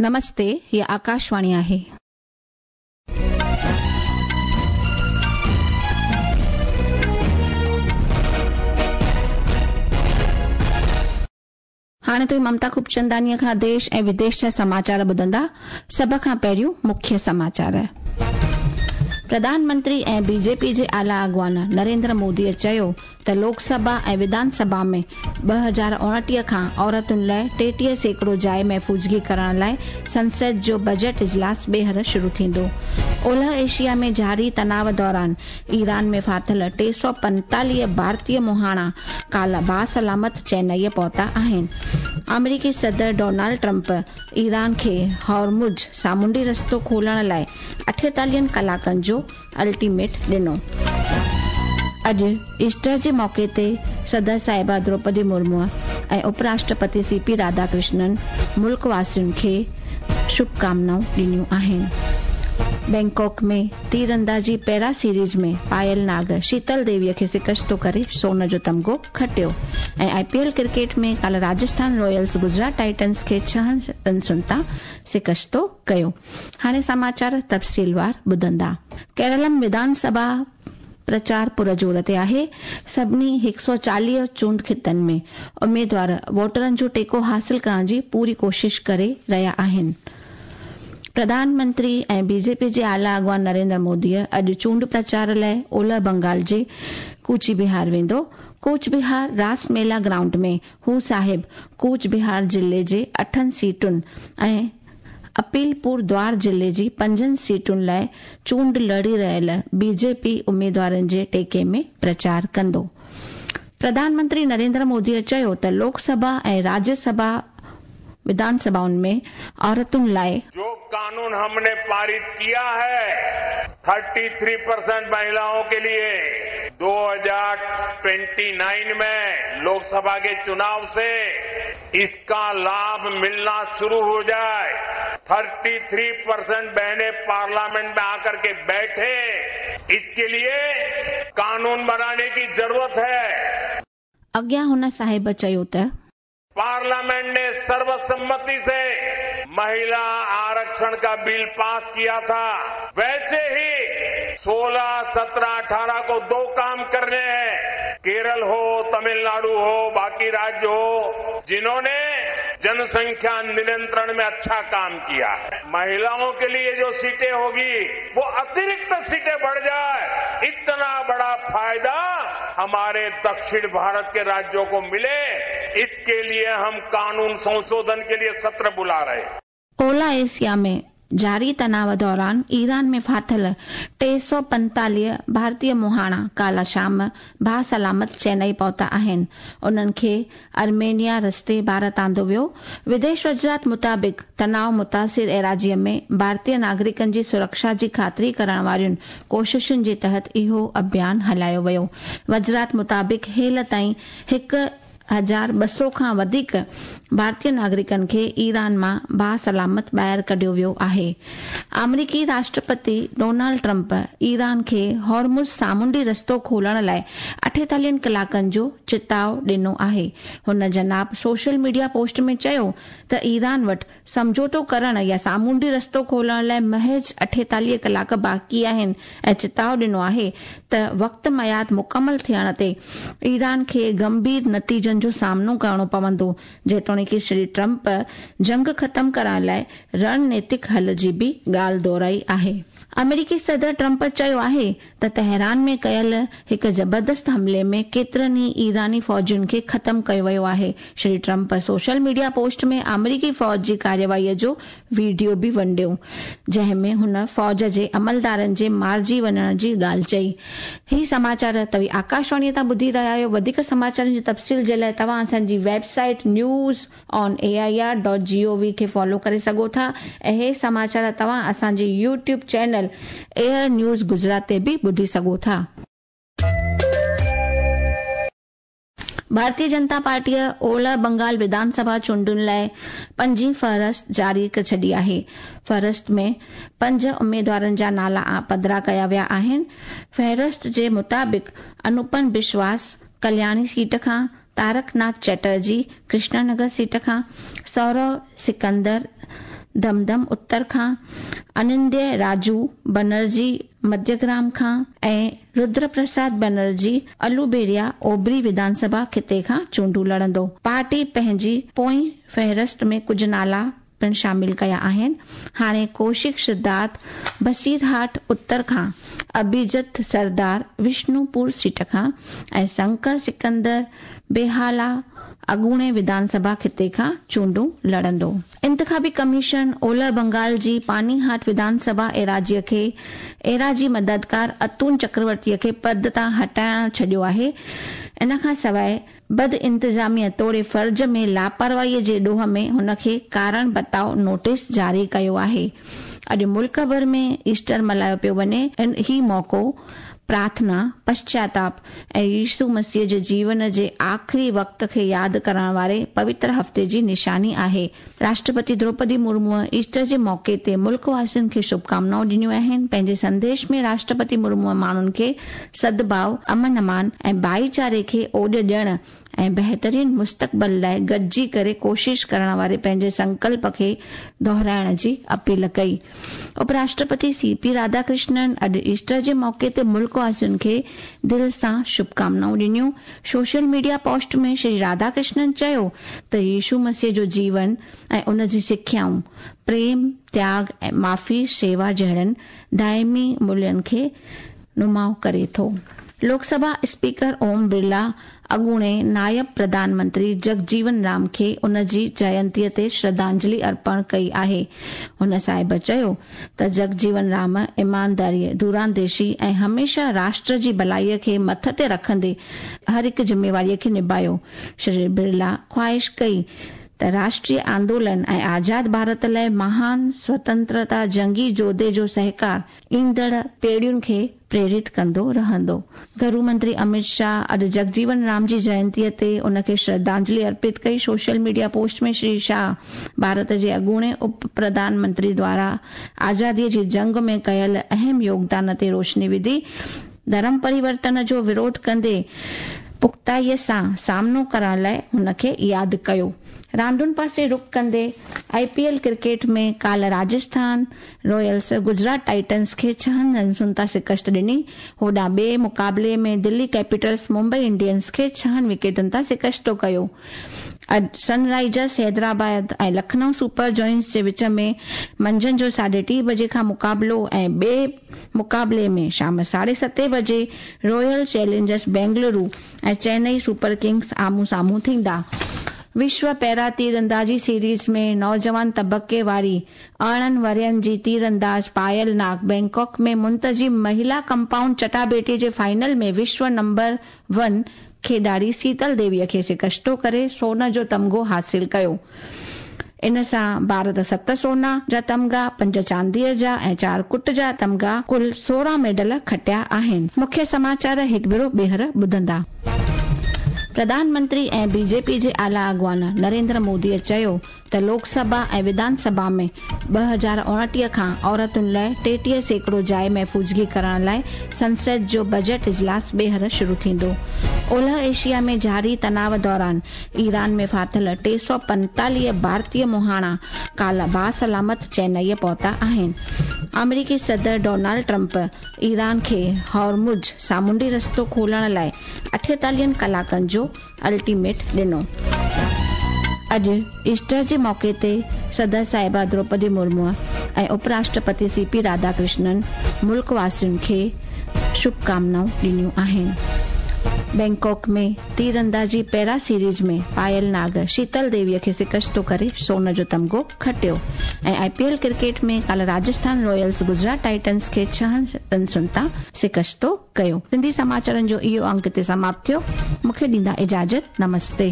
नमस्ते, ही आकाशवाणी आहे. हाणे तुव्हीं ममता खूबचंदानीअ खां देश ऐं विदेश जा समाचार ॿुधंदा। सभ खां पहिरियों मुख्य समाचार। प्रधानमंत्री ऐं बीजेपी जे आला अॻवान नरेंद्र मोदीअ चयो त लोकसभा ऐं विधानसभा में 2029 खां औरतुनि लाइ 33% जाइ महफ़ूज़गी करण लाइ संसद जो बजट इजलास ॿीहर शुरू थींदो। ओलह एशिया में जारी तनाव दौरान ईरान में फाथिल 345 भारतीय मुहाणा काल्ह बासलामत चेन्नईअ पहुता आहिनि। अमरीकी सदर डोनाल्ड ट्रंप ईरान खे हॉर्मुज सामुंडी रस्तो खोलण लाइ 48 कलाकनि जो अल्टीमेट ॾिनो। अॼु ईस्टर जे मौक़े ते सदर साहिबा द्रौपदी मुर्मू ऐं उपराष्ट्रपति सीपी राधाकृष्णन मुल्क वासियुनि खे शुभकामनाऊं ॾिनियूं आहिनि। बैंकॉक में तीरंदाजी पैरा सीरीज में पायल नाग शीतल देवीअ खे शिकस्तो करे सोन जो तमगो खटियो। ऐं आईपीएल क्रिकेट में काल्ह राजस्थान रॉयल्स गुजरात टाइटन्स खे 6 रनसुनि तां शिकस्तो कयो। हाणे समाचार तफ़सीलवार ॿुधंदा। केरलम विधानसभा प्रचार पुरजोर ते आहे। सभिनी 140 चूंड ख़ितनि में उमेदवार वोटरनि जो टेको हासिल करण जी पूरी कोशिश करे रहिया आहिनि। प्रधानमंत्री ऐं बीजेपी जे आला अॻवान नरेंद्र मोदीअ अॼु चूंड प्रचार लाइ ओलह बंगाल जे कूच बिहार वेंदो। कूच बिहार रास मेला ग्राउंड में हू साहिब कूच बिहार ज़िले जे 8 सीटुनि ऐं अपीलपुर द्वार ज़िले जी 5 सीटुनि लाइ चूंड लड़ी रहियल बीजेपी उमेदवारनि जे टेके में प्रचार कंदो। प्रधानमंत्री नरेंद्र मोदीअ चयो त लोकसभा ऐं राज्यसभा विधानसभाउनि में औरतुनि लाइ जो कानून हमने पारित किया है 33% महिलाओं के लिए 2029 में लोकसभा के चुनाव से इसका लाभ मिलना शुरू हो जाए। 33% बहनें पार्लियामेंट में आकर के बैठे, इसके लिए कानून बनाने की जरूरत है। अॻियां हुन साहिब चयो त पार्लियामेंट ने सर्वसम्मति से महिला आरक्षण का बिल पास किया था, वैसे ही 16, 17, 18 को दो काम करने हैं। केरल हो, तमिलनाडु हो, बाकी राज्य हो, जिन्होंने जनसंख्या नियंत्रण में अच्छा काम किया है। महिलाओं के लिए जो सीटें होगी वो अतिरिक्त सीटें बढ़ जाए, इतना बड़ा फायदा हमारे दक्षिण भारत के राज्यों को मिले, इसके लिए हम कानून संशोधन के लिए सत्र बुला रहे हैं। ओला एशिया में जारी तनाव दौरान ईरान में फाथिल 345 भारतीय मुहाणा काल्ह शाम बासलामत चेन्नई पहुता आहिनि। उन्हनि खे आर्मेनिया रस्ते भारत आंदो वियो। विदेश वज़ारत मुताबिक़ तनाव मुतासिर एराज़ीअ में भारतीय नागरिकनि जी सुरक्षा जी ख़ातिरी करण वारियुनि कोशिशुनि जे तहत इहो अभियान हलायो वियो। वज़ारत मुताबिक़ हेल ताईं 1200 खां वधीक भारतीय नागरिकनि खे ईरान मां बासलामत ॿाहिरि कढियो वियो आहे। अमरीकी राष्ट्रपति डोनाल्ड ट्रंप ईरान खे हॉर्मुज़ सामुंडी रस्तो खोलण लाइ 48 कलाकनि जो चिताव ॾिनो आहे। हुन जनाब सोशल मीडिया पोस्ट में चयो त ईरान वटि सम्झौतो करण या सामुंडी रस्तो खोलण लाइ महज़ 48 कलाक बाक़ी आहिनि ऐं चिताव ॾिनो आहे त वक़्त मयाद मुकमल थियण ते ईरान खे गंभीर नतीजनि जो सामनो करणो पवंदो। जेतोणीक श्री ट्रंप जंग ख़तम करण लाइ रणनीतिक हल जी बि ॻाल्हि दोहराई आहे। अमेरिकी सदर ट्रंप चयो आहे त तेहरान में कयल हिकु ज़बरदस्त हमले में केतिरनि ई ईरानी फ़ौजियुनि खे ख़तम कयो वियो आहे। Shri Trump social media post में अमेरिकी फ़ौज जी कार्यवाहीअ जो वीडियो बि वंडियो, जंहिं में हुन फ़ौज जे अमलदारनि जे मारिजी वञण जी ॻाल्हि चई। ही समाचार तव्हीं आकाशवाणीअ तां ॿुधी रहिया आहियो। वधीक समाचारनि जी तफ़सील जे लाइ तव्हां असांजी वेबसाइट newsonair.gov खे फॉलो करे सघो था ऐं हे समाचार तव्हां असांजे YouTube channel air news Gujarat ते बि ॿुधी सघो था। भारतीय जनता पार्टीअ ओलह बंगाल विधानसभा चूंडुनि लाइ पंजीं फ़हरिस्त जारी करे छॾी आहे। फ़हरिस्त में 5 उमेदवारनि जा नाला पधरा कया विया आहिनि। फ़हरिस्त जे मुताबिक़ अनुपम विश्वास कल्याणी सीट खां, तारकनाथ चटर्जी कृष्णानगर सीट खां, सौरव सिकंदर دمدم اتر کان، اننديه راجو بنرجي مڌيگرام کان ۽ ردر پرساد بنرجي الوبيريا اوڀري وڌان سڀا خطي کان چونڊون لڙندو. پارٽي پنهنجي پوئين فهرست ۾ ڪجهه نالا پڻ شامل ڪيا آهن. هاڻي ڪوشڪ سڌارٿ بصيرهاٽ اتر کان، اڀيجت سردار وشنوپور سيٽ کان ۽ شنڪر سڪندر بيهالا اڳوڻي وڌان سڀا خطي کان چونڊون لڙندو. انتخابي ڪميشن اولهه بنگال جي پانيهاٽ وڌان سڀا ايراضيء کي ايراضي مددگار اتون چڪرورتيء کي پد تان هٽائڻ ڇڏيو آهي. ان کان سواء بدانتظاميء توڙي فرض ۾ لاپرواهيء جي ڏوهه ۾ هن کي ڪارڻ بتاء نوٽيس جاري ڪيو آهي. اڄ ملڪ ڀر ۾ ايسٽر ملهايو پيو وڃي. هي موقعو پرارٿنا، پشچاتاپ ۽ يسوع مسيح جي جيون جي آخري وقت کي ياد ڪرڻ واري پوتر هفتي جي نشاني آهي. راشٽرپتي دروپدي مرموء ايسٽر جي موقعي تي ملڪ واسين کي شڀڪامنائون ڏنيون آهن. پنهنجي سنديش ۾ راشٽرپتي مرموء ماڻهن کي سدڀاء، امن امان ۽ ڀائيچاري کي اوڏ ڏيڻ ۽ بهترين مستقبل لاء گڏجي ڪري ڪوشش ڪرڻ واري پنهنجي سنڪلپ کي دهرائڻ جي اپيل ڪئي. اپ راشٽرپتي سي پي راڌاڪرشنن اڄ ايسٽر جي موقعي تي ملڪ واسين کي دل سان شڀڪامنائون ڏنيون. Social media post ۾ Shri Radhakrishnan چيو ته يسوع مسيح جو جيون ۽ ان جي سکيائون پريم، تياڳ ۽ معافي، شيوا جهڙن دائمي مولين کي نماء ڪري ٿو. لوڪ سڀا اسپيڪر اوم برلا اڳوڻي نائب پرڌان منتري جگجيون رام کي ان جي جينتيء تي شرڌانجلي ارپڻ ڪئي آهي. هن صاحب چيو ته جگجيون رام ايمانداريء، دورانديشي ۽ هميشه راشٽر جي ڀلائيء کي مٿ تي رکندي هر هڪ ذميواريء کي نڀايو. شري برلا خواهش ڪئي ته راشٽريه آندولن ۽ آزاد ڀارت لاء مهان سوتنترتا جنگي جوڌي جو سهڪار ايندڙ پيڙهين کي پريرت ڪندو رهندو. گهرو منتري اميت شاهه اڄ جگجيون رام جي جينتيء تي ان کي شرڌانجلي ارپت ڪئي. Social media post ۾ Shri Shah Bharat جي اڳوڻي اپ پرڌان منتري دوارا آزاديء جي جنگ ۾ ڪيل اهم يوگدان تي روشني وڌي. ڌرم پريورتن جو وروڌ ڪندي پختائيء سان سامنو ڪرڻ لاء هن کي ياد ڪيو. راندن پاسي رخ ڪندي آء پي ايل ڪرڪيٽ ۾ ڪالهه راجسٿان رائلز گجرات ٽائٽنز کي ڇهن رنسن تان شڪست ڏني. هوڏانهن ٻئي مقابلي ۾ دلي ڪيپيٽلز ممبئي انڊينز کي ڇهن وڪيٽن تان شڪستو ڪيو. اڄ سن رائيزرز حيدرآباد ۽ لکنؤ سپر جوائنٽس جي وچ ۾ منجهند جو ساڍي ٽي بجي کان مقابلو ۽ ٻئي مقابلي ۾ شام ساڍي ستين بجي Royal Challengers Bengaluru ۽ Chennai Super Kings آمهون سامهون ٿيندا. وشو پيرا تيراندازي سيريز ۾ نوجوان طبقي واري 18 ورهين جي تيرانداز پايل ناگ بئنڪاڪ ۾ منتظم مهلا ڪمپائونڊ چٽاڀيٽي جي فائنل ۾ وشو نمبر ون کيڏاڙي سيتل ديويء کي شڪستو ڪري سون جو تمغو حاصل ڪيو. ان سان ڀارت ست سونا جا تمغا، پنج چانديء جا ۽ چار ڪٽ جا تمغا ڪل 16 ميڊل کٽيا آهن. مکيه سماچار هڪ ڀيرو ٻيهر ٻڌندا. پرڌان منتري ۽ بي جي پي جي اعليٰ اڳواڻ نريندر موديء چيو ته لوڪ سڀا ۽ وڌان سڀا ۾ 2029 کان عورتن لاء 33% جاء محفوظگي ڪرڻ لاء سنسد جو بجيٽ اجلاس ٻيهر شروع ٿيندو. اولهه ايشيا ۾ جاري تناء دوران ايران ۾ ڦاٿل 345 ڀارتي مهاڻا ڪالهه باسلامت چينئي پهتا آهن. آمريڪي صدر ڊونالڊ ٽرمپ ايران کي هورمز سامونڊي رستو کولڻ لاء 48 ڪلاڪن جو الٽيميٽ ڏنو. اڄ ايسٽر جي موقعي تي صدر صاحبه دروپدي مرمو ۽ اپ راشٽرپتي سي پي راڌاڪرشنن ملڪ واسين کي شڀڪامنائون ڏنيون آهن. بئنڪاڪ ۾ تيراندازي پيرا سيريز ۾ پايل ناگ شيتل ديويء کي شڪستو ڪري سون جو تمغو کٽيو ۽ آء پي ايل ڪرڪيٽ ۾ ڪالهه راجسٿان رائلز گجرات ٽائٽنز کي ڇهن رنسن تان شڪستو ڪيو. سنڌي سماچارن جو اهو انڪ هتي سماپت ٿيو. مون کي ڏيندا اجازت. نمستي.